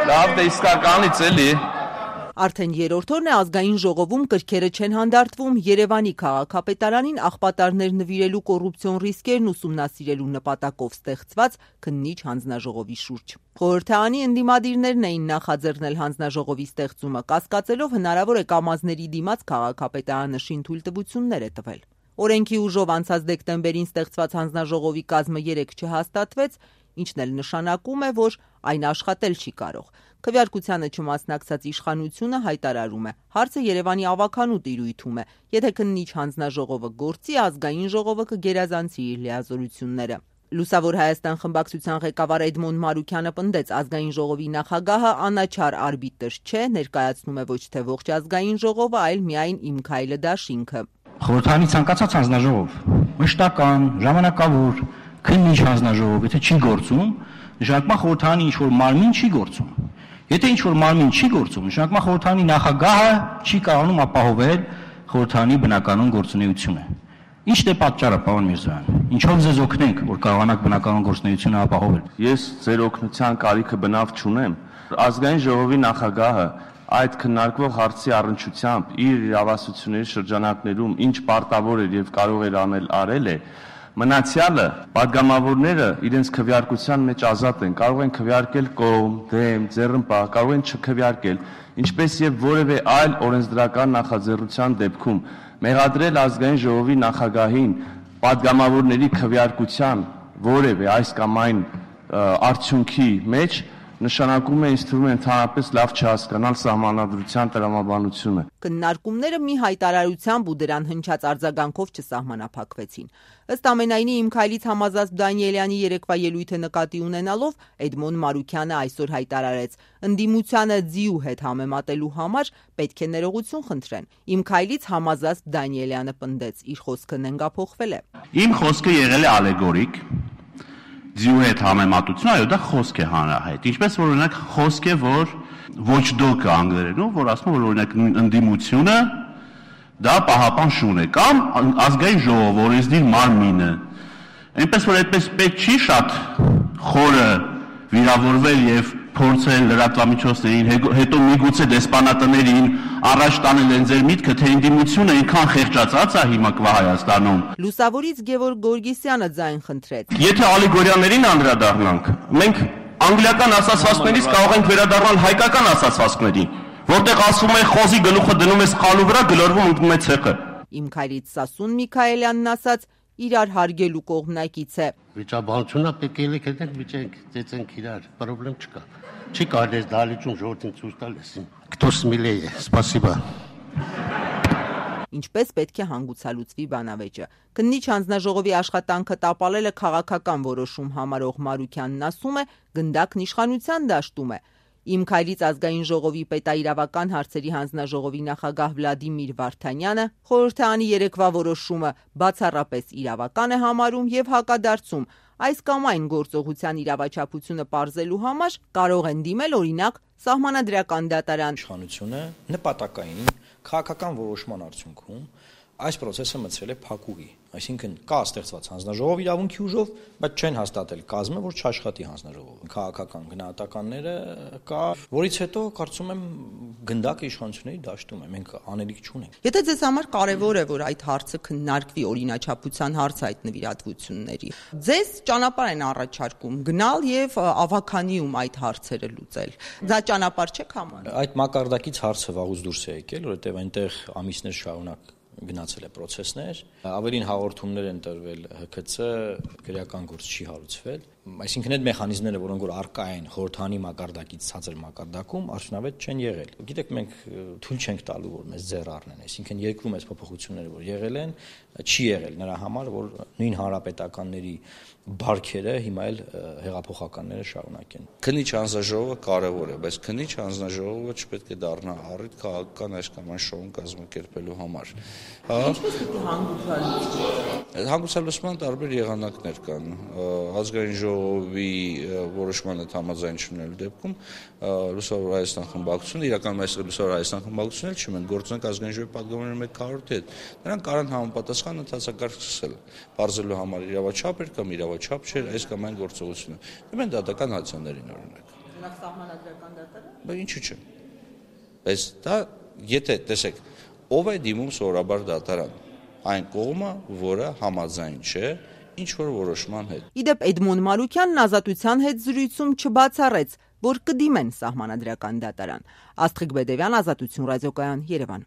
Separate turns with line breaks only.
Լավ, դե իսկականից էլի։
Արդեն երրորդ օրն է ազգային ժողովում կրքերը չեն հանդարտվում Երևանի քաղաքապետարանին աղբատարներ նվիրելու կոռուպցիոն ռիսկերն ուսումնասիրելու նպատակով ստեղծված քննիչ հանձնաժողովի շուրջ։ Խորհրդարանի ընդդիմադիրներն էին նախաձեռնել հանձնաժողովի ստեղծումը, կասկածելով հնարավոր է կամազների դիմաց քաղաքապետարանը շինթույլտվություններ է տվել։ Օրենքի ուժով անցած դեկտեմբերին ստեղծված հանձնաժողովի կազմը 3 չհաստատվեց, ինչն էլ նշանակում է, որ այն աշխատել չի կարող։ Քվեարկությանը չմասնակցած իշխանությունը հայտարարում է, հարցը Երևանի ավականու տիրույթում է, եթե քննիչ հանձնաժողովը գործի, ազգային ժողովը կգերազանցի իր լիազորությունները։ Լուսավոր Հայաստան խմբակցության ղեկավար Էդմոն Մարուքյանը պնդեց, ազգային ժողովի նախագահը անաչառ արբիտր չէ, ներկայացնում է ոչ թե ողջ ազգային ժողովը, այլ միայն Իմ քայլը դաշինքը։
Խորհրդարանի ցանկացած հանձնաժողով, մշտական, ժամանակավոր, քննիչ հանձնաժողով, եթե չի գործում, նշանակում է խորհրդարանի ինչ-որ մարմին չի գործում։ Եթե ինչ-որ մարմին չի գործում, նշանակում է խորհրդարանի նախագահը չի կարողանում ապահովել խորհրդարանի բնականon գործունեությունը։ Ինչն է պատճառը, պարոն Միրզոյան։ Ինչով ձեզ օգնենք, որ կարողանաք բնականon գործունեությունը ապահովել։
Ես ձեր օգնության կարիքը բնավ չունեմ։ Ազգային ժողովի նախագահը այդ քննարկվող հարցի առնչությամբ իր իրավասությունների շրջանակներում ինչ պարտավոր էր եւ կարող էր արել է, մնացյալը падգամավորները իրենց քվեարկության մեջ ազատ են, կարող են քվեարկել կողմ, դեմ, ձեռնպահ, կարող են չքվեարկել, ինչպես եւ որևէ այլ օրենսդրական նախաձեռնության դեպքում մեղադրել ազգային ժողովի նախագահին падգամավորների քվեարկության որևէ այս կամ այն արդյունքի մեջ նշանակում է ինձ թվում է ընդհանրապես լավ չհասկանալ սահմանադրության տրամաբանությունը։
Քննարկումները մի հայտարարությամբ ու դրան հնչած արձագանքով չսահմանափակվեցին։ Ըստ ամենայնի Իմ քայլից Համազազբ Դանիելյանի երեկվա ելույթը նկատի ունենալով Էդմոն Մարուքյանը այսօր հայտարարեց. ընդդիմությանը ձիու հետ համեմատելու համար պետք է ներողություն խնդրեն։ Իմ քայլից Համազազբ Դանիելյանը պնդեց, իր խոսքը նենգափոխվել է։
Իմ խոսքը եղել է ալեգորիկ։ Ձիու հետ համեմատություն, այո, դա խոսք է հանրահայտ։ Ինչպես որ օրինակ խոսք է, որ watchdog-ը անգլերենով, որ ասում որ օրինակ ընդդիմությունը դա պահապան շուն է կամ ազգային ժողով օրենսդիր մարմինը։ Այնպես որ այդպես պետք չի շատ խորը վիրավորվել եւ փորձել լրատվամիջոցներին, հետո միգուցե դեսպանատներին առաջ տանել են ձեր միտքը, թե ընդդիմությունը այնքան խեղճացած է հիմա կվա Հայաստանում։
Լուսավորից Գևորգ Գորգիսյանը ձայն խնդրեց։
Եթե ալեգորիաներին անդրադառնանք, մենք անգլիական ասացվածքներից կարող ենք վերադառնալ հայկական ասացվածքներին, որտեղ ասվում է խոզի գլուխը դնում ես խալու վրա, գլորվում ընկնում է ցեխը։
Իմ քայլից Սասուն Միքայելյանն ասաց, իրար հարգելու կողմնակից է։
Վիճաբանությունը պետք է ելեք վիճենք, ծեծենք իրար, պրոբլեմ չկա։ Չի կարելի դալիճում ժողովրդին ցույց տալ էսին։ Кто смелее, спасибо։
Ինչպես պետք է հանգուցալուծվի բանավեճը։ Քննիչ հանձնաժողովի աշխատանքը տապալելը քաղաքական որոշում համարող Մարուքյանն ասում է, գնդակն իշխանության դաշտում է։ Իմ քայլից ազգային ժողովի պետաիրավական հարցերի հանձնաժողովի նախագահ Վլադիմիր Վարդանյանը խորհրդարանի երեկվա որոշումը բացառապես իրավական է համարում եւ հակադարձում այս կամ այն գործողության իրավաչափությունը պարզելու համար կարող են դիմել օրինակ սահմանադրական դատարան։
Իշխանությունը նպատակային քաղաքական որոշման արդյունքում այս process-ը մցրել է փակուղի, այսինքն կա ստեղծված հանձնաժողով իրավունքի ուժով, բայց չեն հաստատել կազմը, որ չաշխատի հանձնաժողովը։ Քաղաքական գնահատականները կա, որից հետո կարծում եմ գնդակը իշխանությունների դաշտում է, մենք անելիք չունենք։
Եթե ձեզ համար կարևոր է, որ այդ հարցը քննարկվի օրինաչափության հարց այդ նվիրատվությունների, ձեզ ճանապարհ են առաջարկում գնալ եւ ավականիում այդ հարցերը լուծել։ Դա ճանապարհ չէ համարում։
Այդ մակարդակից հարցը վաղուց դուրս է եկել, որովհետեւ այնտեղ ամիսներ շարունակ գնացել է process-ներ, ավելին հաղորդումներ են տրվել ՀՔՑ, քրեական գործ չի հարուցվել, այսինքն այդ մեխանիզմները, որոնք որ առկա են խորհրդանի մակարդակից ցածր մակարդակում, արդյունավետ չեն եղել։ Գիտեք, մենք թույլ չենք տալու, որ մեզ ձեռ առնեն, այսինքն երկրում այս փոփոխությունները, որ եղել են, չի եղել նրա համար, որ նույն հանրապետականների բարքերը հիմա էլ հեղափոխականները շարունակեն։
Քննիչ հանձնաժողովը կարևոր է, բայց քննիչ հանձնաժողովը չպետք է դառնա առիթ քաղաքական այս կամ այն շոուն կազմակերպելու համար։
Ինչպես պիտի հանգուցալուծվի։
Հանգուցալուծման տարբեր եղանակներ կան։ Ազգային ժողովի որոշմանը համաձայն չունենալու դեպքում Լուսավոր Հայաստան խմբակցությունը, իրականում այս Լուսավոր Հայաստան խմբակցությունը էլ չունեն գործունակ ազգային ժողովի պատգամավորների մեկ քառորդի հետ։ Նրանք կարան համապատասխան ընթացակարգ սկսել, բարձելու համար իրավաչափ էր կամ իրավաչափ չէր այս կամ այն գործողությունը։ Դեմեն դատական հացաներին օրինակ։
Նախ սահմանադրական դատարան։
Բայց ինչու՞ չէ։ Բայց դա եթե տեսեք, ով է դիմում սովորաբար դատարան, այն կողմը, որը համաձայն չէ ինչ որ որոշման հետ։
Իդեպ Էդմոն Մարուկյանն Ազատության հետ զրույցում չբացառեց, որ կդիմեն սահմանադրական դատարան։ Աստղիկ Բեդևյան, Ազատություն ռադիոկայան, Երևան։